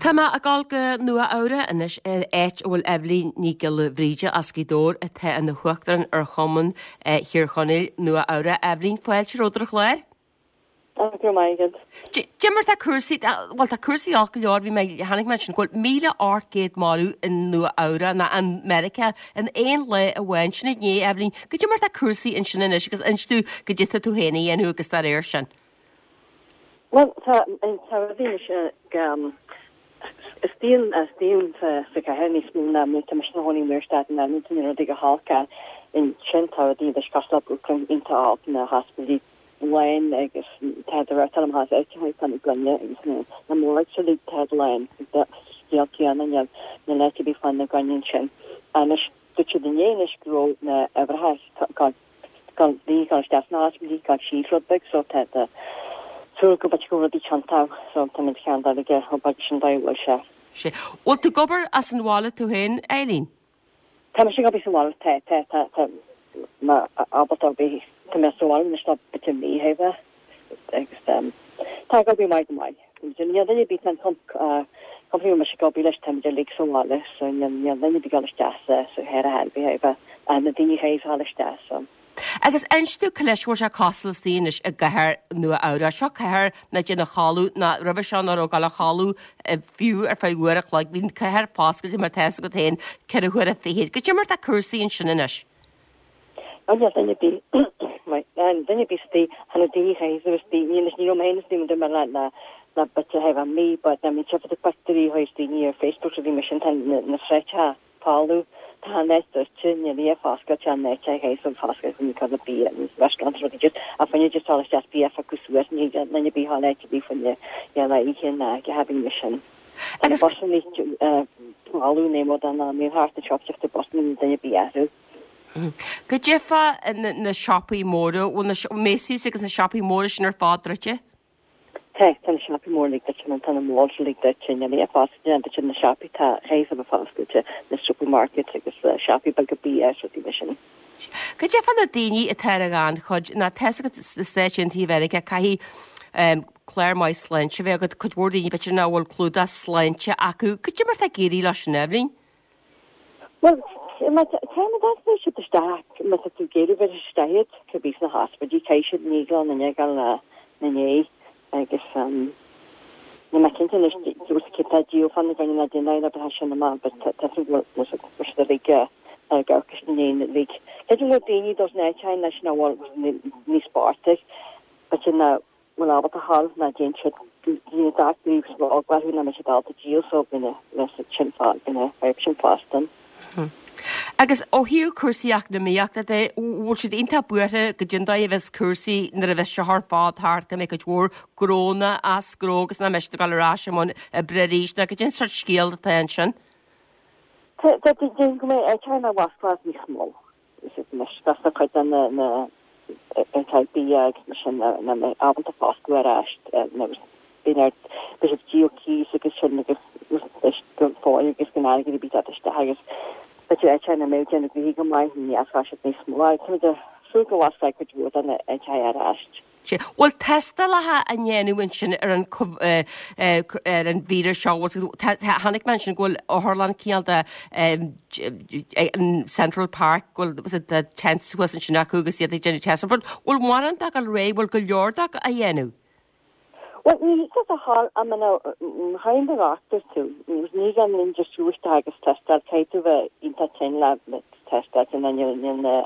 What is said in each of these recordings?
Tá mé ag dul go Nua Eabhrac anois, áit a bhfuil Eibhlín Ní Ghiolla Bhríde as Gaoth Dobhair atá ina huachtarán ar Chumann Thír Chonaill, Nua Eabhrac. Eibhlín, fáilte romhat ar an chlár. Go raibh maith agat. Cad é mar tá cúrsaí, bhuel tá cúrsaí olc go leor, bhí mé, chonaic mé ansin go bhfuil 1,800 marbh i Nua Eabhrac ná i Meiriceá in aon lá amháin, sin inné, Eibhlín. Cad é mar tá cúrsaí ansin anois agus inis domh cad é tá tú féin a dhéanamh agus dá réir sin. Bhuel tá, tá rudaí anois ag, is daon, is daon sa, sa chathair níos mó ná tá mise i mo chónaí amuigh ar Staten Island, tá na rudaí go holc ansin, tá rudaí anois cosúil le Brooklyn iontach olc, na hospidéil lán agus tá de réir amach as áit a fá na gcoinne agus na na morgues uilig tá lán scéal céanna níl níl áit ar bith fá na gcoinne ansin. Anois dúirt siad inné anois go raibh na uimhreacha gan gan daoine gan isteach sna hospidéil gan síos rud beag so tá tá súil go b'fhéidir go bhfuil rudaí tiontach so tá muid cheann d'aige ó beag sin dóigh a bhfuil sé. Sé. Bhfuil tú ag obair as an bhaile tú féin, Eileen? Tá mise ag obair sa bhaile, tá, tá, tá, tá mé ábalta obair, tá mé sa bhaile anois le b'fhéidir mí a bheith agus tá ag obair maith go maith. Níl duine ar bith, tá an company a bhfuil mise ag obair leis, táimid uilig sa bhaile so níl duine ar bith ag dul isteach sa sa chathair ar bith, ach na daoine a chaithfidh a dhul isteach so. Agus inis domh cá leis a bhfuil sé cosúil istigh anois i gcathair Nua Eabhrac. Seo cathair nach dtéann a chodladh ná roimhe seo nach raibh ag dul a chodladh fiú ar feadh uair a chloig. Bhí an cathair foscailte mar tá fhios agat féin ceithre huaire fichead. Cad é mar tá cúrsaí ansin anois? Níl duine ar bith duine ar bith istigh, tá na daoine chaithfidh a bheith istigh, ní ní raibh mé féin istigh mar le le le b'fhéidir thar mí but I mean tchífeá pictiúirí chuid daoine ar Facebook rudaí mar sin tá na na sráideacha folamh. Tá an áit druidte, níl aon foscailte an áit a théis an foscailte chun cur le bia agus restaurants rudaí just a fá choinne just dul isteach bia a phiocadh suas ní thig le duine ar bith a dhul áit ar bith fá choinne le oíche ná go háirithe mar sin. Tá na busanna folamh ní mór don am níl thart an siopa teacht bus níl duine ar bith orthu. Cad é fá na siopaí móra, bhfuil na Macy's agus na siopaí móra sin ar fad druidte? Tá, tá na siopaí móra uilig druidte, nó tá na malls uilig druidte, níl aon foscailte ann, druidte na siopaí, tá chaithfidh a bheith foscailte, na supermarkets agus siopaí beaga bia is rudaí mar sin. Cad é fá na daoine atá ar an ghannchuid, nó tá fhios agat sna Stáit Aontaithe Mheiriceá, caithfidh clár maith sláinte a bheith agat, cuid mhór daoine b'fhéidir nach bhfuil clúdach sláinte acu, cad é mar atá ag éirí leo sin, Eibhlín? Bhuel, má tá má tá siad isteach, má tá tú ag iarraidh bheith isteach iad, cibé sna hospidéil, caithfidh siad ní glan na ndeagal na ndiaidh agus níl mé cinnte anois dúirt cé tá díol fá na gcoinne ná déanamh le bheith sin amach but tá tú bhfuil siad uilig ag amharc is na ndiaidh uilig. Cé go bhfuil daoine dos na áiteanna leis nach bhfuil níos boichte, but sin na bhfuil ábalta a ghabháil ná déan siad daoine dochtúirí agus eagla orthu nach mbeidh siad ábalta díol so bíonn a sin fá bíonn a fadhb sin fosta. Agus ó thaobh cúrsaí eacnamaíochta de, bhfuil siad iontach buartha goidé an dóigh a bheas cúrsaí nuair a bheas seo ar fad thart, go mbeidh cuid mhór gnónna as gnó agus nach mbeidh siad ag dul ar ais i mbun oibre arís nó goidé an sórt scéal atá ansin? Tá tá déarfainn go mbeidh áiteanna a bhfosclóidh níos mó. Anois tá cuid de na áiteacha bia agus mar sin nach mbeidh ábalta foscladh ar ais nó bíonn ar beidh siad ag díol cíos agus sin agus go fóill agus gan airgead ar bith ag teacht isteach agus b'fhéidir áiteacha nach mbeidh ag déanamh gnoithe go maith ní fhosclóidh siad níos mó. Táimid ag súil go bhfosclóidh cuid mhór de na áiteacha ar ais. Sea. Bhfuil tástálacha á ndéanamh ansin ar an ar an víreas seo? Bhfuil chonaic mé ansin go bhfuil otharlann cineál de in Central Park go bhfuil the tents thuas ansin acu agus iad ag déanamh test. Bhfuil bhfuil mórán dá gabháil ar aghaidh? Bhfuil go leor dá á dhéanamh? Bhuel, ní thig leat a ghabháil I mean chaithfidh do dhochtúir tú. Ní gan aon just siúl isteach agus tástáil. Caithfidh tú bheith iontach tinn le tástáil níl na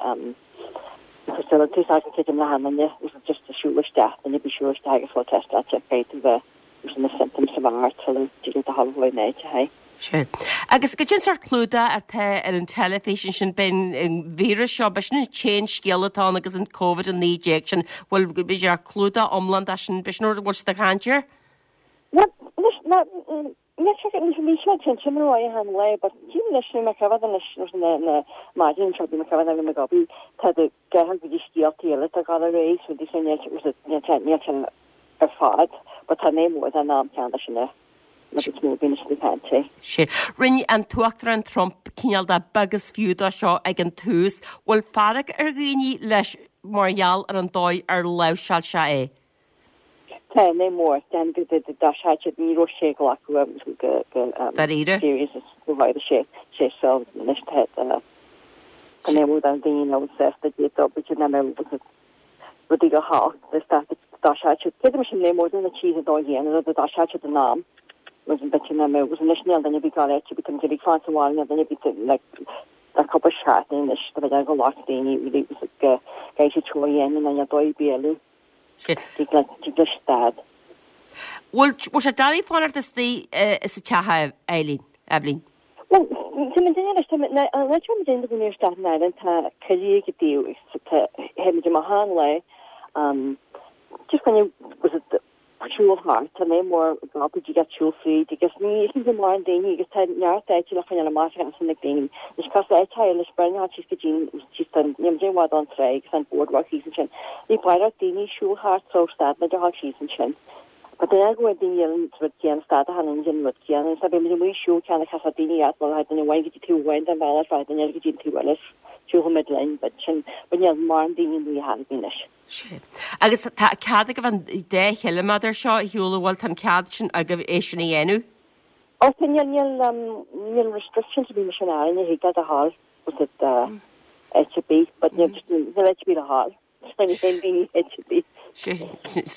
facilities acu creidim le haon duine just a siúl isteach, duine ar bith siúl isteach agus fáil tástáilte, caithfidh tú bheith with na symptoms a bheith ort sula dtig leat a ghabháil chuig an áit, aye. Sea. Agus goidé an sórt clúdach atá ar an teilifís ansin, b'é an víreas seo, b'é sin an t-aon scéal atá ann agus an Covid-19 sin, bhfuil, b'fhéidir, clúdach iomlán de sin, b'é sin rud a bhfuil siad ag caint air? Bhuel, anois, ná, Níl sé ní sé cinnte mar a bheadh an lae but tchím anois bhí mé ag coimhéad anois nuair na na maidin seo bhí mé ag coimhéad bhí mé ag obair tá do gceathair go dtí scéaltaí eile atá ag dul ar aghaidh so so níl sé níl sé níl sé ar fad but tá mé mór den am ceann leis na na bit mó bíonn siad ag caint é. Sea. Rinne an tUachtarán Trump cineál de beag is fiú dó seo ag an tús. Bhfuil fearg ar dhaoine leis mar gheall ar an dóigh ar láimhseáil sé é? Tá, ní mór, den go dtí dá sé ní raibh sé glacadh go go Dáiríre? serious is go raibh sé sé so anois tá tá ní mór don daoine a bhfuil sásta d'fhéadfadh b'fhéidir nach mbeadh rudaí go holc is dá dá sé siad cé go sin ní mór do na tithe dá dhéanamh rud dá sé siad in am was an b'fhéidir nach mbeadh anois níl duine ar bith ag gabháil áit ar bith tá muid uilig fán sa bhaile níl duine ar bith like tá cúpla seachtain anois tá b'fhéidir go lot daoine really go gcaithfidh siad seo a dhéanamh nó níl dóigh ar bith eile. Tig le stad. Bhfuil bhfuil sé doiligh fanacht istigh sa teach a Eileen, Eibhlín? Bhuel, tá muid anois, tá muid, an áit a bhfuil muid i gcónaí ar Staten Island, tá coillidh ag an taobh agus tá, théimid amach achan lá, just coinne, was it, siúl thart, tá mé mór ábalta tig leat siúl fríd agus ní is ní mórán daoine agus tá neart áite le coinneáil amach as na daoine. Anois cos áit eile leis breithniú síos go dtí síos tá níl muid i bhfad ón trá agus an boardwalk thíos ansin. Ní mórán daoine ag siúl thart so stad muid a ghabháil síos ansin. But duine go bhfuil daoine eile an rud céanna stad a tháinig an rud céanna agus bhí muid amuigh ag siúl ceann a chasfadh daoine as bhuel duine amháin go dtí taobh amháin den bhealach rachaidh duine eile go dtí an taobh eile siúlfaidh muid linn but sin but níl mórán daoine amuigh ar chor ar bith anois. Sea. Agus tá cead agaibh an dá chiliméadar seo a shiúl, an bhfuil, tá an cead sin agaibh é sin a dhéanamh? Ó tá, níl, níl, níl restrictions ar bith mar sin orainn, thig leat a ghabháil, was it, áit ar bith, but níl, just níl áit ar bith le ghabháil, just níl aon daoine áit ar bith. Sea,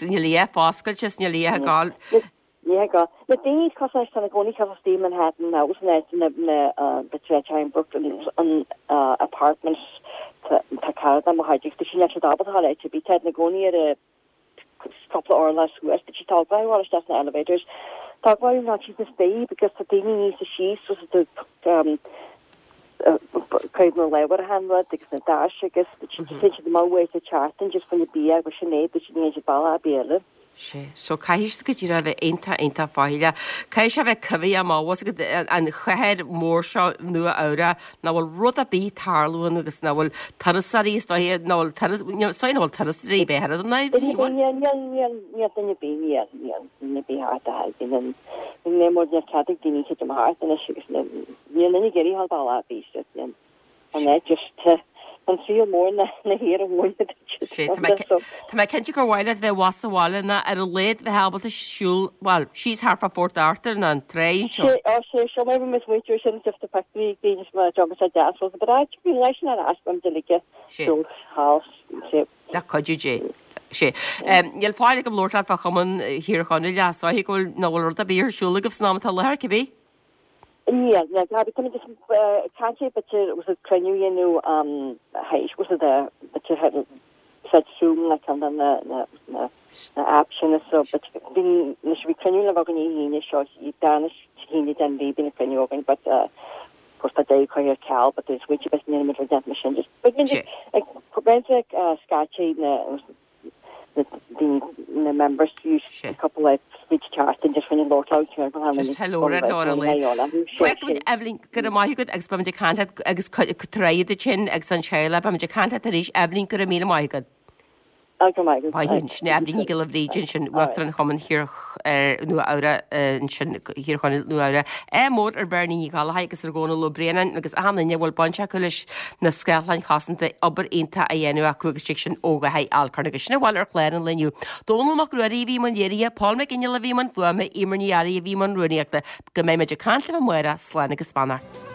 níl a dhath foscailte is níl a dhath ag gabháil. Ní hé go. Na daoine cosúil leis tá ina gcónaí cosúil istigh i Manhattan nó san áit na na b'fhéidir áit in Brooklyn an apartments tá tá cara de mo chuid agus tá sí níl siad ábalta a ghabháil áit ar bith tá ina gcónaí ar a cúpla orlach suas tá siad tógtha a ghabháil isteach sna elevators tá ag gabháil ná síos na staighrí because tá daoine níos síos so tá Cuid na leabhar achan rud agus na doirse agus téann siad amach uair sa tseachtain just chun bia agus sin é, but ní théann siad bealach ar bith eile. Sea, so caithfidh siad go díreach a bheith iontach, iontach faichilleach. Caithfidh sé a bheith coimhthíoch amach bhfuil fhios agat an chathair mhór seo Nua Eabhrac nach bhfuil rud ar bith ag tarlú ann agus nach bhfuil turasóirí is dóiche nach bhfuil turas, is dóiche nach bhfuil turasóirí ar bith thart an áit, ní bhfuil? Níl, níl, níl, níl duine ar bith, níl, níl duine ar bith thart a thairgeann an, ní mór níl cead ag daoine titim thart anois agus Níl duine ag iarraidh a ghabháil bealach ar bith sa bhliain an áit just an saol mór na na haoir a bhain Sé, tá mé tá mé cinnte gur mhaith leat bheith abhus sa bhaile ná ar a laghad bheith ábalta siúl, bhuel, síos thart fá Phort Arthur ná an trá anseo. Sé, ó sé, seo mar bhí muid muintir sin just a picnic daoine is mar job is a deas was but áit bhí leis an ar ais bhí muid uilig Sé. siúl thall sé. Le cuidiú Dé. Sé. Níl faill agam labhairt leat fá Chumann Thír Chonaill ach is dóiche go bhfuil, nach bhfuil rud ar bith ar siúl agaibh san am atá i láthair, cibé? Níl, níl. Tá, táimid just ag caint ar b'fhéidir was it cruinniú a dhéanamh théis was it b'fhéidir úsáid Zoom nó ceann de na na na na apps sin so but bhí anois bhí cruinniú le bheith againn Dé hAoine seo darna hAoine den mhí bíonn cruinniú againn but of course tá deireadh curtha ar ceal but there's smaointe bit níl muid rud déanta mar sin just but ag roinnt ag scaití na na daoine, na members use a couple of speech chart and just when you lord out here Just hello ar lár an lae. Bhuel, Eibhlín, go raibh maith agat agus beimid ag caint leat agus tar duit sin agus an teaghlach, beimid ag caint leat arís. Eibhlín, go raibh míle maith agat. Go raibh maith agat. Maith thú. Sin Eibhlín Ní Ghiolla Bhríde ansin, Uachtarán Chumann Thír Nua Eabhrac ansin, Thír Chonaill, Nua Eabhrac. Ádh mór ar Bhernie Ní Ghallchóir agus ar Dhónal Ó Braonáin agus achan duine a bhfuil baint acu leis na scáthláin chosanta, obair iontach á dhéanamh acu agus tig sin ó Dháithí Alcorn agus sin a bhfuil ar chlár an lae inniu. Dónall Mac Ruairí a bhí i mbun léirithe, Paul McGinley a bhí i mbun fuaime, Eimear Ní Fhearraigh a bhí i mbun rúnaíochta. Go mbeidh muid ag caint libh amárach, slán agus beannacht.